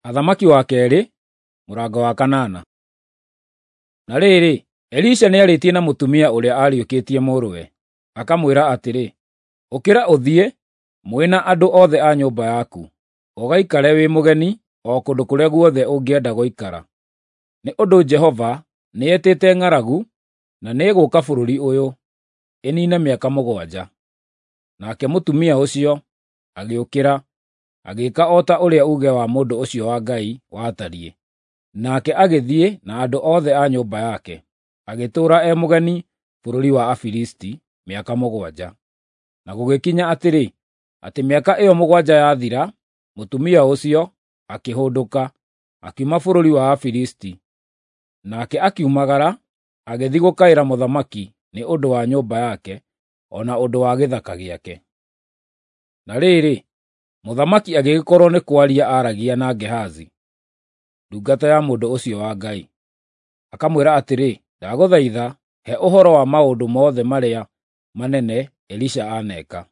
Athamaki wa kerĩ, mũrango wa kanana. Na rĩrĩ, Elisha nĩarĩtie na mũtumia ũrĩa aariũkĩtie mũrũwe, akamwĩra atĩrĩ, “Ũkĩra ũthiĩ, mwĩ na andũ othe a nyũmba yaku, ũgaikare wĩ mũgeni o kũndũ kũrĩa guothe ũngĩenda gũikara. Nĩ ũndũ Jehova nĩetĩte ng'aragu, na nĩĩgũũka bũrũri ũyũ, ĩniine mĩaka 7.” Nake mũtumia ũcio agĩũkĩra, agĩĩka o ta ũrĩa uuge wa mũndũ ũcio wa Ngai watariĩ. Nake agĩthiĩ na andũ othe a nyũmba yake, agĩtũũra e mũgeni bũrũri wa Afilisti mĩaka 7. Na gũgĩkinya atĩrĩ, atĩ mĩaka ĩyo 7 yathira, mũtumia ũcio akĩhũndũka, akiuma bũrũri wa Afilisti. Nake akiumagara, agĩthiĩ gũkaĩra mũthamaki nĩ ũndũ wa nyũmba yake, o na ũndũ wa gĩthaka gĩake. Na rĩrĩ, mũthamaki agĩgĩkorwo nĩ kwaria aaragia na Gehazi, ndungata ya mũndũ ũcio wa Ngai, akamwĩra atĩrĩ, “Ndagũthaitha, he ũhoro wa maũndũ mothe marĩa manene Elisha aaneka.”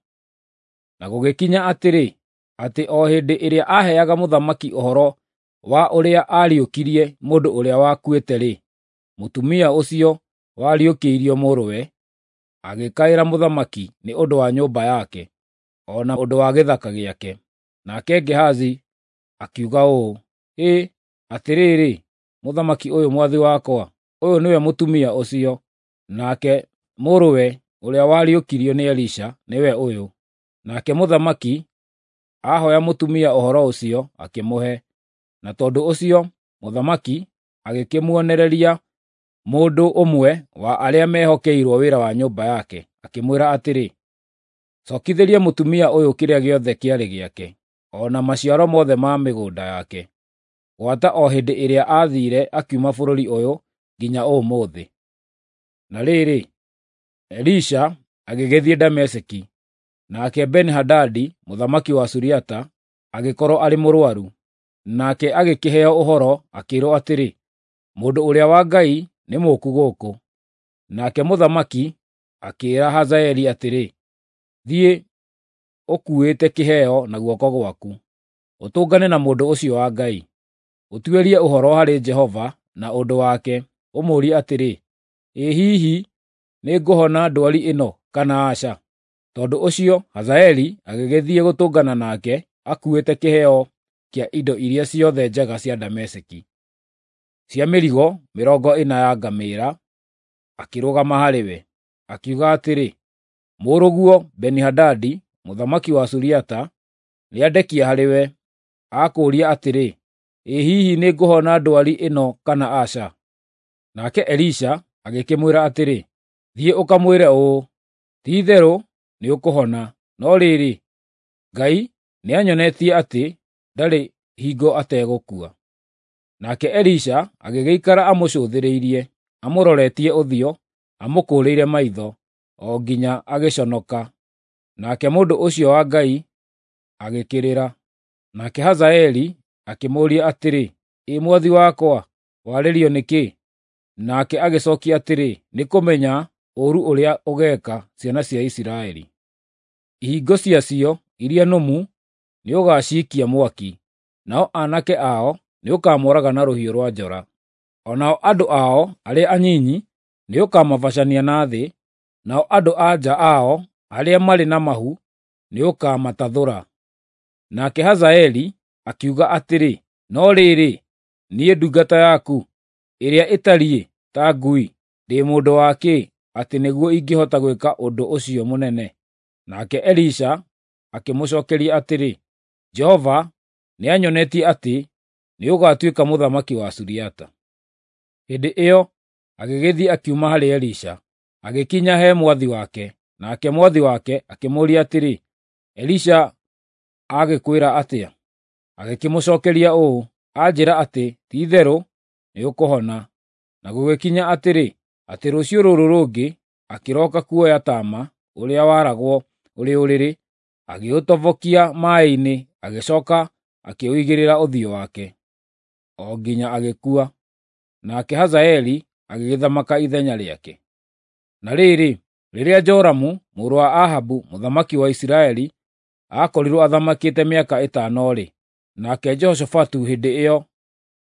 Na gũgĩkinya atĩrĩ, atĩ o hĩndĩ ĩrĩa aaheaga mũthamaki ũhoro wa ũrĩa aariũkirie mũndũ ũrĩa wakuĩte-rĩ, mũtumia ũcio wariũkĩirio mũrũwe agĩkaĩra mũthamaki nĩ ũndũ wa nyũmba yake, o na ũndũ wa gĩthaka gĩake. Nake Gehazi akiuga ũũ, “Hĩ, atĩrĩrĩ, mũthamaki ũyũ mwathi wakwa, ũyũ nĩwe mũtumia ũcio, nake mũrũwe ũrĩa wariũkirio nĩ Elisha nĩwe ũyũ.” Nake mũthamaki ahooya mũtumia ũhoro ũcio, akĩmũhe. Na tondũ ũcio mũthamaki agĩkĩmuonereria mũndũ ũmwe wa arĩa mehokeirwo wĩra wa nyũmba yake, akĩmwĩra atĩrĩ, “Cookithĩria mũtumia ũyũ kĩrĩa gĩothe kĩarĩ gĩake, o na maciaro mothe ma mĩgũnda yake, gwata o hĩndĩ ĩrĩa aathiire akiuma bũrũri ũyũ nginya ũmũthĩ.” Na rĩrĩ, Elisha agĩgĩthiĩ Dameski, nake Beni-Hadadi mũthamaki wa Suriata agĩkorwo arĩ mũrũaru. Nake agĩkĩheo ũhoro, akĩĩrwo atĩrĩ, “Mũndũ ũrĩa wa Ngai nĩ mũũku gũkũ.” Nake mũthamaki akĩĩra Hazaeli atĩrĩ, “Thiĩ, ũkuĩte kĩheo na guoko gwaku, ũtũngane na mũndũ ũcio wa Ngai. Ũtuĩrie ũhoro harĩ Jehova na ũndũ wake, ũmũũrie atĩrĩ, ‘Ĩ hihi nĩngũhona ndwari ĩno kana aca?’ ” Tondũ ũcio Hazaeli agĩgĩthiĩ gũtũngana nake akuuĩte kĩheo kĩa indo iria ciothe njega cia Dameski, cia mĩrigo 40 ya ngamĩĩra, akĩrũgama harĩ we. Akiuga atĩrĩ, “Mũrũguo Beni-Hadadi mũthamaki wa Suriata nĩandekia harĩwe, akũũria atĩrĩ, ‘Ĩ hihi nĩngũhona ndwari ĩno kana aca?’ ” Nake Elisha agĩkĩmwĩra atĩrĩ, “Thiĩ ũkamwĩre ũũ, ‘Ti-itherũ nĩũkũhona,’ no rĩrĩ, Ngai nĩanyonetie atĩ ndarĩ hingo ategũkua.” Nake Elisha agĩgĩikara amũcũthĩrĩirie, amũroretie ũthiũ, amũkũũrĩire maitho, o nginya agĩconoka. Nake mũndũ ũcio wa Ngai agĩkĩrĩra. Nake Hazaeli akĩmũũria atĩrĩ, “Ĩ mwathi wakwa, warĩrio nĩ kĩ?” Nake agĩcookia atĩrĩ, “Nĩ kũmenya ũũru ũrĩa ũgeeka ciana cia Isiraeli. Ihingo ciacio iria nũmu nĩũgaciikia mwaki, nao aanake ao nĩũkamooraga na rũhiũ rwa njora. O nao andũ ao arĩa anyinyi nĩũkamabacania na thĩ, nao andũ-a-nja ao arĩa marĩ na mahu nĩũkamatathũra.” Nake Hazaeli akiuga atĩrĩ, “No rĩrĩ, niĩ ndungata yaku, ĩrĩa ĩtariĩ ta ngui, ndĩ mũndũ wa kĩ, atĩ nĩguo ingĩhota gwĩka ũndũ ũcio mũnene?” Nake Elisha akĩmũcookeria atĩrĩ, “Jehova nĩanyonetie atĩ nĩũgatuĩka mũthamaki wa Suriata.” Hĩndĩ ĩyo agĩgĩthiĩ akiuma harĩ Elisha, agĩkinya he mwathi wake. Nake mwathi wake akĩmũũria atĩrĩ, “Elisha agĩkwĩra atĩa?” Agĩkĩmũcookeria ũũ, “Anjĩĩra atĩ ti-itherũ nĩũkũhona.” Na gũgĩkinya atĩrĩ, atĩ rũciũ rũrũ rũngĩ akĩroka kuoya taama ũrĩa waragwo ũrĩ ũrĩrĩ, agĩũtobokia maaĩ-inĩ, agĩcooka akĩũigĩrĩra ũthiũ wake, o nginya agĩkua. Nake Hazaeli agĩgĩthamaka ithenya rĩake. Na rĩrĩ, rĩrĩa Joramu mũrũ wa Ahabu mũthamaki wa Isiraeli aakorirwo athamakĩte mĩaka 5-rĩ, Nake Jehoshafatu hĩndĩ ĩyo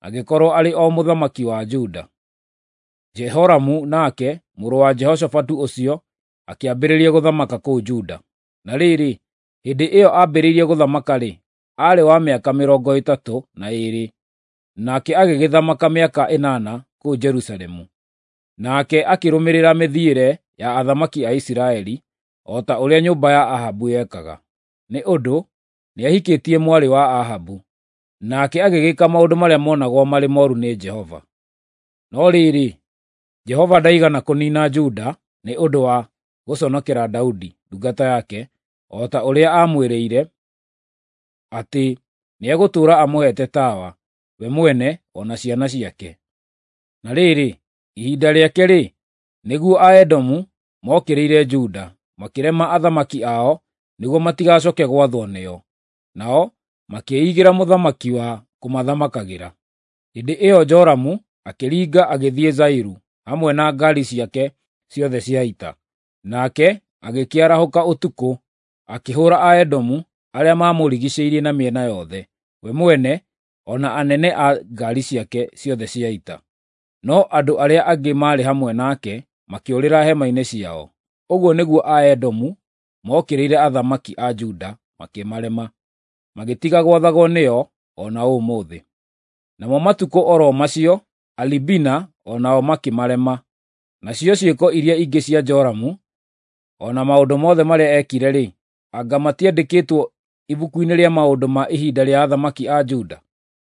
agĩkorwo arĩ o mũthamaki wa Juda. Jehoramu nake, mũrũ wa Jehoshafatu ũcio, akĩambĩrĩria gũthamaka kũu Juda. Na rĩrĩ, hĩndĩ ĩyo aambĩrĩirie gũthamaka-rĩ, aarĩ wa mĩaka 32, nake agĩgĩthamaka mĩaka 8 kũu Jerusalemu. Nake akĩrũmĩrĩra mĩthiĩre ya athamaki a Isiraeli, o ta ũrĩa nyũmba ya Ahabu yekaga, nĩ ũndũ nĩahikĩtie mwarĩ wa Ahabu. Nake agĩgĩka maũndũ marĩa monagwo marĩ mooru nĩ Jehova. No rĩrĩ, Jehova ndaigana kũniina Juda nĩ ũndũ wa gũconokera Daudi ndungata yake, o ta ũrĩa aamwĩrĩire atĩ nĩegũtũũra amũheete tawa, we mwene o na ciana ciake. Na rĩrĩ, ihinda rĩake-rĩ, nĩguo Aedomu mookĩrĩire Juda, makĩrema athamaki ao nĩguo matigacooke gwathwo nĩo. Nao makĩĩigĩra mũthamaki wa kũmathamakagĩra. Hĩndĩ ĩyo Joramu akĩringa agĩthiĩ Zairu hamwe na ngaari ciake ciothe cia ita. Nake agĩkĩarahũka ũtukũ, akĩhũũra Aedomu arĩa maamũrigiicĩirie na mĩena yothe, we mwene o na anene a ngaari ciake ciothe cia ita. No andũ arĩa angĩ maarĩ hamwe nake makĩũrĩra hema-inĩ ciao. Ũguo nĩguo Aedomu mookĩrĩire athamaki a Juda makĩmarema, magĩtiga gwathagwo nĩo o na ũmũthĩ. Namo matukũ o ro macio Alibina o nao makĩmarema. Nacio ciĩko iria ingĩ cia Joramu, o na maũndũ mothe marĩa eekire-rĩ, anga matiandĩkĩtwo ibuku-inĩ rĩa maũndũ ma ihinda rĩa athamaki a Juda?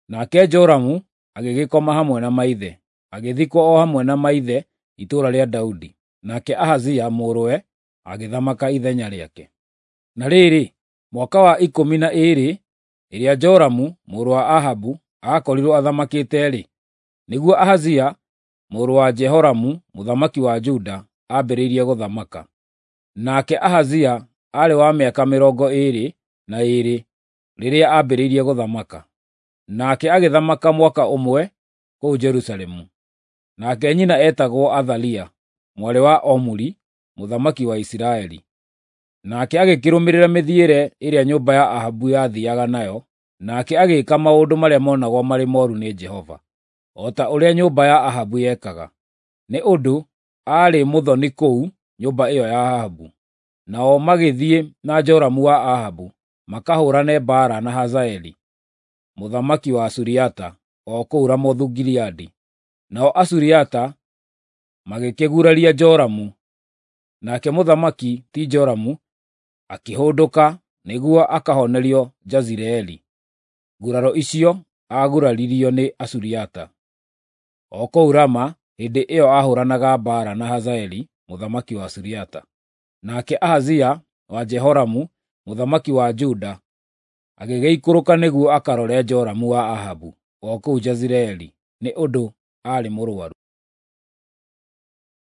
Nake Joramu agĩgĩkoma hamwe na maithe, agĩthikwo o hamwe na maithe itũũra rĩa Daudi. Nake Ahazia mũrũwe agĩthamaka ithenya rĩake. Na rĩrĩ, mwaka wa 12 ĩrĩa Joramu mũrũ wa Ahabu aakorirwo athamakĩte-rĩ, nĩguo Ahazia mũrũ wa Jehoramu mũthamaki wa Juda aambĩrĩirie gũthamaka. Nake Ahazia aarĩ wa mĩaka 22 rĩrĩa aambĩrĩirie gũthamaka, nake agĩthamaka mwaka ũmwe kũu Jerusalemu. Nake nyina eetagwo Athalia, mwarĩ wa Omuri mũthamaki wa Isiraeli. Nake agĩkĩrũmĩrĩra mĩthiĩre ĩrĩa nyũmba ya Ahabu yathiiaga nayo, nake agĩĩka maũndũ marĩa monagwo marĩ mooru nĩ Jehova, o ta ũrĩa nyũmba ya Ahabu yekaga, nĩ ũndũ aarĩ mũthoni kũu nyũmba ĩyo ya Ahabu. Nao magĩthiĩ na Joramu wa Ahabu makahũũrane mbaara na Hazaeli mũthamaki wa Suriata o kũu Ramothu-Gileadi. Nao Asuriata magĩkĩguraria Joramu, nake mũthamaki ti Joramu akĩhũndũka nĩguo akahonerio Jezireeli nguraro icio aaguraririo nĩ Asuriata o kũu Rama hĩndĩ ĩyo aahũũranaga mbaara na Hazaeli mũthamaki wa Suriata. Nake Ahazia wa Jehoramu mũthamaki wa Juda agĩgĩikũrũka nĩguo akarore Joramu wa Ahabu o kũu Jezireeli, nĩ ũndũ aarĩ mũrũaru.